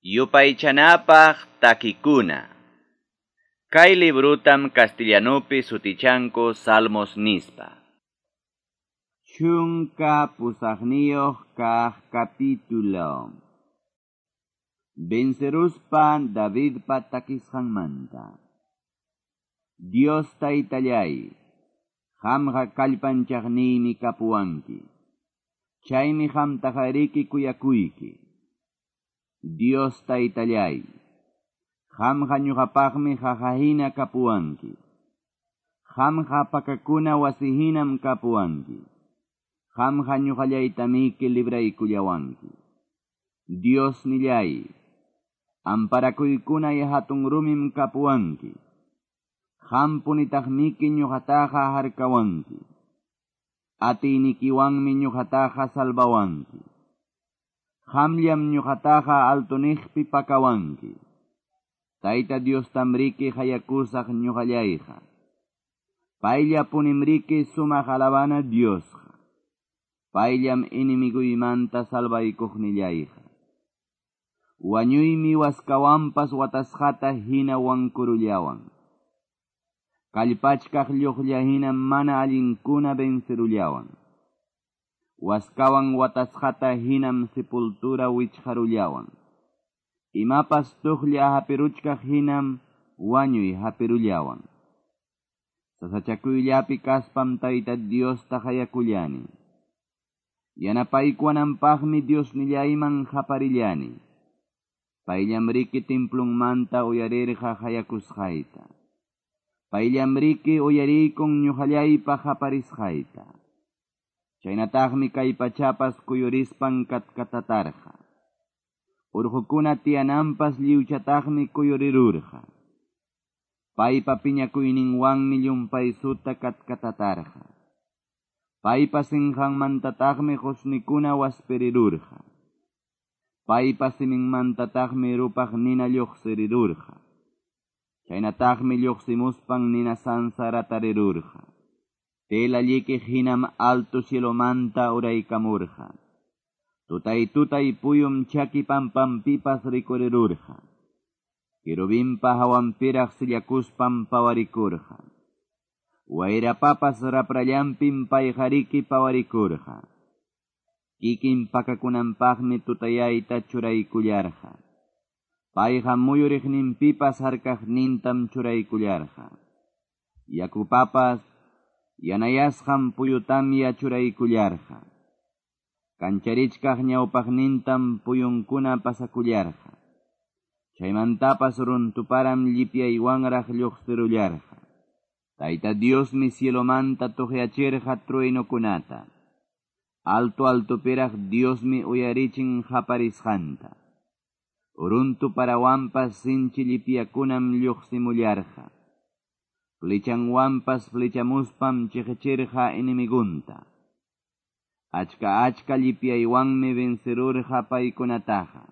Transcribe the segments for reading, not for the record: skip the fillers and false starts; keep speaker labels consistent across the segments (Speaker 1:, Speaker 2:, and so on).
Speaker 1: Yupaychanapaq takikuna. Kay librutam castellanupi sutichanku Salmos nispa.
Speaker 2: 18 kaq capítulo. Venceruspa Davidpa takisqanmanta. Dios taytallay, qamqa kallpanchaqniymi kapuwanki. Chaymi qamtaqariki kuyakuyki. Dios taytallay, qamqa ñuqapaqmi qaqahina kapuwanki. Qamqa pakakuna wasihinam kapuwanki. Qamqa ñuqallaytamiki libraykullawanki. Dios nillay, amparakuykunay hatun rumim kapuwanki. Qampunitaqmiki ñuqataqa harkawanki. Atiynikiwanmi ñuqataqa salvawanki. Qamllam ñuqataqa altuniqpi pakawanki. Tayta Diostamriki hayakusaq ñuqallayqa. Payllapunimriki sumaq alabana Diosqa. Payllam enemigoymanta salvaykuqnillayqa. Wañuymi waskawanpas watasqata hina wankurullawan. Kallpachkaq lluqlla hina mana allinkuna vencerullawan. Waskawan watasqata hinam sepultura wichqarullawan. Imapas tuqlla hapiruchkaq hinam wañuy hapirullawan. Sasachakuyllapi kaspam Tayta Diosta hayakullani. Yanapaykuwananpaqmi Diosnillayman qaparillani. Payllamriki templunmanta uyarirqa hayakusqayta. Payllamriki uyariykun ñuqallaypa qaparisqayta. Chaynataqmi kay pachapas kuyurispan katkatatarqa. Urqukuna tiyananpas lliwchataqmi kuyurirurqa. Paypa piñakuyninwanmi llumpaysuta katkatatarqa. Paypa sinqanmantataqmi qusnikuna waspirirurqa. Paypa siminmantataqmi rupaq nina lluqsirirurqa. Chaynataqmi lluqsimuspan nina sansaratarirurqa. Tela llikiq hinam alto cielomanta uraykamurqa. Tutay tutay puyum chaki pampampipas rikurirurqa. Querubimpa hawanpiraq sillakuspam pawarikurqa. Wayrapapas raprallanpim payqariki pawarikurqa. Kikin pakakunanpaqmi tutayayta churaykullarqa. Payqa muyuriqninpipas harkaqnintam churaykullarqa. Yakupapas yanayasqan puyutamya churaykullarqa. Kancharichkaq ñawpaqnintam puyunkuna pasakullarqa. Chaymantapas runtuparam llipyaywanraq lluqsirullarqa. Tayta Diosmi cielomanta tuqyachirqa truenukunata. Alto altopiraq Diosmi uyarichin qaparisqanta. Runtu parawanpas sinchi llipyakunam lluqsimullarqa. Flechanwanpas flechamuspam chiqichirqa enemigunta. Achka achka llipyaywanmi vencerurqa paykunataqa.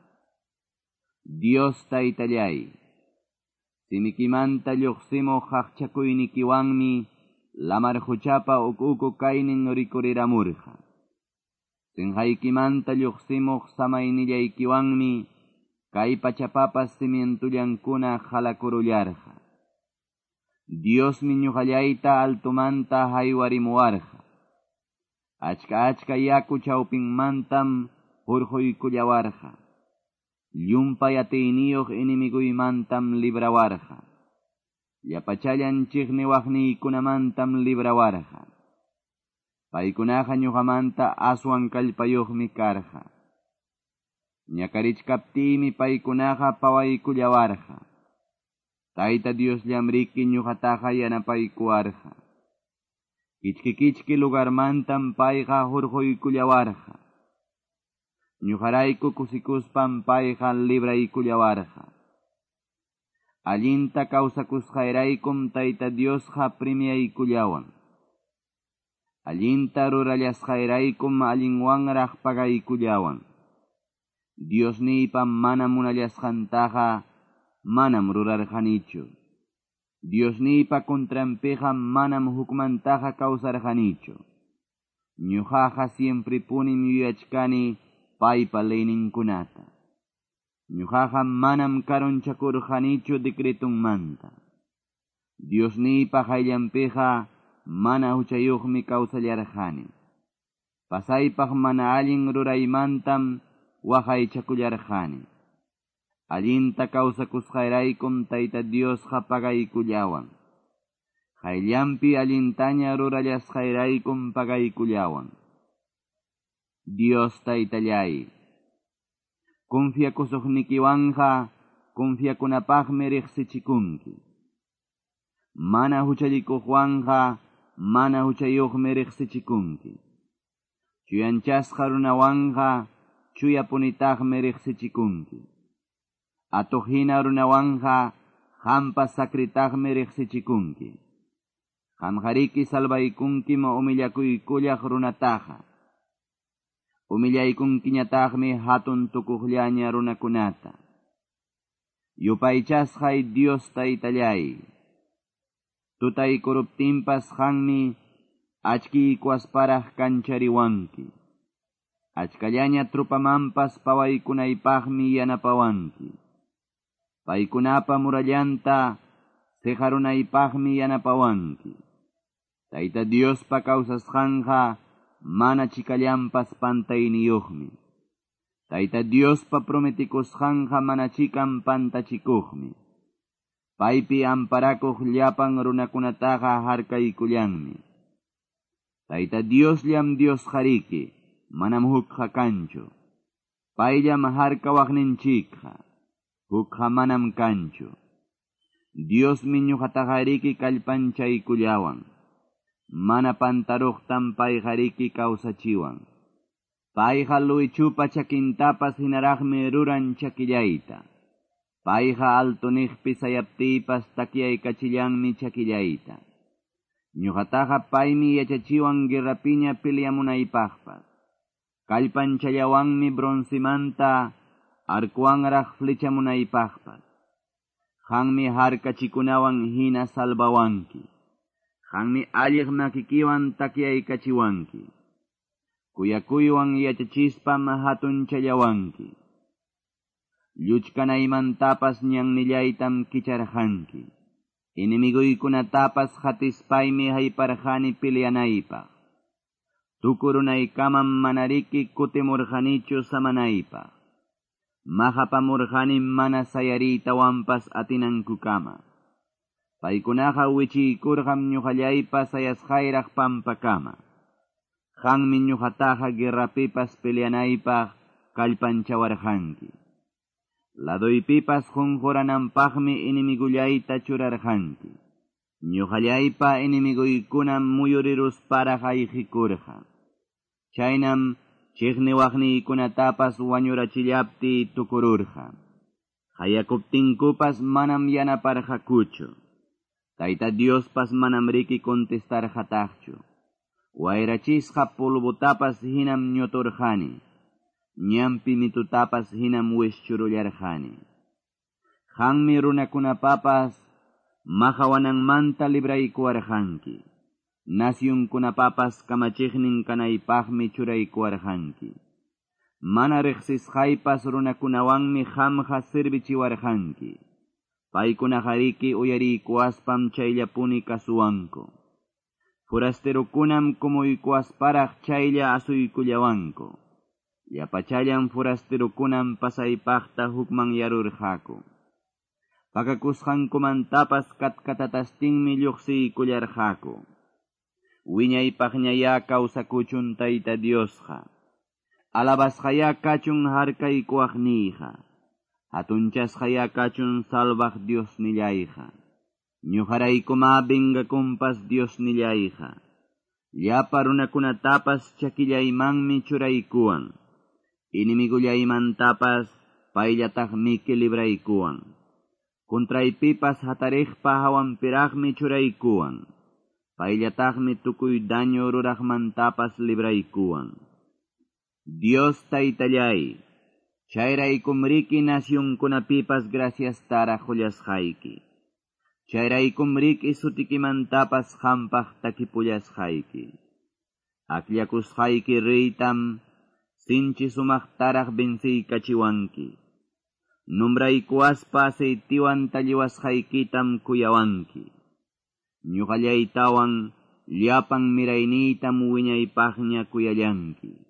Speaker 2: Dios taytallay, simikimanta lluqsimuq qaqchakuynikiwanmi lamar quchapa uku kaynin rikuriramurqa. Sinqaykimanta lluqsimuq samaynillaykiwanmi kay pachapapas cimientullankuna halakurullarqa. Diosmi ñuqallayta altomanta haywarimuwarqa. Achka achka yaku chawpinmantam hurquykullawarqa. Llumpay atiyniyuq enemiguymantam librawarqa. Llapachallan chiqniwaqniykunamantam librawarqa. Paykunaqa ñuqamanta aswan kallpayuqmi karqa. Ñakarichkaptiymi paykunaqa pawaykullawarqa. Tayta Diosllamriki ñuqataqa yanapaykuwarqa. Kichki kichki lugarmantam payqa hurquykullawarqa. Ñuqarayku kusikuspam payqa libraykullawarqa. Allinta kawsakusqayraykum Tayta Diosqa premiaykullawan. Allinta rurallasqayraykum allinwanraq pagaykullawan. Diosniypa mana munallasqantaqa manam rurarqanichu. Diosniypa contranpiqa manam hukmantaqa kawsarqanichu. Ñuqaqa siemprepunim yuyachkani paypa leyninkunata. Ñuqaqa manam karunchakurqanichu decretunmanta. Diosniypa qayllanpiqa mana huchayuqmi kawsallarqani. Pasaypaq mana allin ruraymantam waqaychakullarqani. Allinta kawsakusqayraykum Tayta Diosqa pagaykullawan. Qayllanpi allintaña rurallasqayraykum pagaykullawan. Dios Taytallay, confiakusuqnikiwanqa confiakunapaqmi riqsichikunki. Mana huchallikuqwanqa mana huchayuqmi riqsichikunki. Chuyanchasqa runawanqa chuyapunitaqmi riqsichikunki. Atuqhina runawanqa qampas sakritaqmi riqsichikunki. Qamqariki salvaykunkim humillakuykullaq runataqa. Humillaykunkiñataqmi hatun tukuqllaña runakunata. Yupaychasqay Dios Taytallay. Tutaykuruptinpas qanmi achkiykuasparaq kanchariwanki. Achkallaña trupamanpas pawaykunaypaqmi yanapawanki. Paykunapa murallanta siqarunaypaqmi yanapawanki. Tayta Diospa kawsasqanqa mana chikallanpas pantayniyuqmi. Tayta Diospa prometikusqanqa mana chikan pantachikuqmi. Paypi amparakuq llapan runakunataqa harkaykullanmi. Tayta Diosllam Diosqariki, manam hukqa kanchu. Payllam harkawaqninchikqa, hukqa manam kanchu. Diosmi ñuqataqariki kallpanchaykullawan. Mana pantaruqtam payqariki kawsachiwan. Payqa luwichupa chakintapas hinaraqmi ruran chakillayta. Payqa altuniqpi sayaptiypas takyaykachillanmi chakillayta. Ñuqataqa paymi yachachiwan guerrapiña peleamunaypaqpas. Kallpanchallawanmi broncemanta arkuwanraq flechamunaypaqpas. Qanmi harkachikunawan hina salvawanki. Qanmi alliq makikiwan takyaykachiwanki. Kuyakuywan yachachispam hatunchallawanki. Lluchkanaymantapas ñannillaytam kicharqanki. Enemiguykunatapas hatispaymi hayparqani peleanaypaq. Tukurunaykamam manariki kutimurqanichu samanaypaq. Maqapamurqani mana sayariytawanpas atinankukama. Paykunaqa wichiykurqam ñuqallaypa sayasqayraq pampakama. Qanmi ñuqataqa guerrapipas peleanaypaq kallpanchawarqanki. Laduypipas qunqurananpaqmi enemigullayta churarqanki. Ñuqallaypa enemiguykunam muyurirusparaq ayqikurqa. Chaynam chiqniwaqniykunatapas wañurachillaptiy tukururqa. Qayakuptinkupas manam yanaparqakuchu. Tayta Diospas manam riki contestarqataqchu. Wayrachisqa polvotapas hinam ñuturqani. Ñampi mitutapas hinam wischurullarqani. Qanmi runakunapapas maqawananmanta libraykuwarqanki. Nasyunkunapapas kamachiqnin kanaypaqmi churaykuwarqanki. Mana riqsisqaypas runakunawanmi qamqa servichiwarqanki. Paykunaqariki uyariykuwaspam chayllapuni kasuwanku. Forasterokunam kumuykuwasparaq chaylla asuykullawanku. Llapachallan forasterokunam pasaypaqta hukmanyarurqaku. Pakakusqankumantapas katkatatastinmi lluqsiykullarqaku. Wiñaypaqñayá kawsakuchun Tayta Diosqa. Alabasqayá kachun harkaykuwaqniyqa. Hatunchasqayá kachun salvaq Diosnillayqa. Ñuqaraykuma vengakunpas Diosnillayqa. Llapa runakunatapas chakillaymanmi churaykuwan. Enemigullaymantapas payllataqmiki libraykuwan. Contraypipas hatariqpa hawanpiraqmi churaykuwan. Payllataqmi tukuy daño ruraqmantapas libraykuwan. Dios Taytallay, chayraykumriki nasyunkunapipas graciastaraq qullasqayki. Chayraykumriki sutikimantapas qampaq takipullasqayki. Akllakusqayki reytam sinchi sumaqtaraq venciykachiwanki. Nombraykuwaspa aceitewan talliwasqaykitam kuyawanki. Ñoqallaytawan llapan mirayniytam wiñaypaqña kuyallanki.